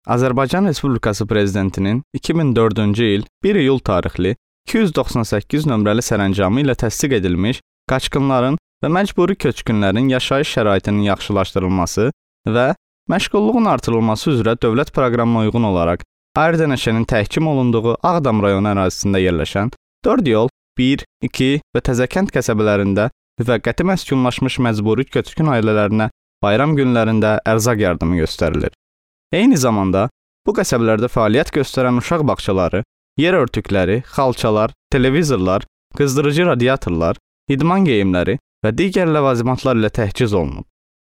Azərbaycan Respublikası Prezidentinin 2004-cü il 1 iyul tarixli 298 nömrəli sərəncamı ilə təsdiq edilmiş qaçqınların və məcburi köçkünlərin yaşayış şəraitinin yaxşılaşdırılması və məşğulluğun artırılması üzrə dövlət proqramına uyğun olaraq Ayrıca-Neşənin təhkim olunduğu Ağdam rayonu ərazisində yerləşən 4 yol, 1, 2 və Təzəkənd qəsəbələrində müvəqqəti məskunlaşmış məcburi köçkün ailələrinə bayram günlərində ərzaq yardımı göstərilir. Eyni zamanda bu qəsəbələrdə fəaliyyət göstərən uşaq bağçaları, yer örtükləri, xalçalar, televizorlar, qızdırıcı radiatorlar, idman geyimləri və digər ləvazimatlar ilə təchiz olunub.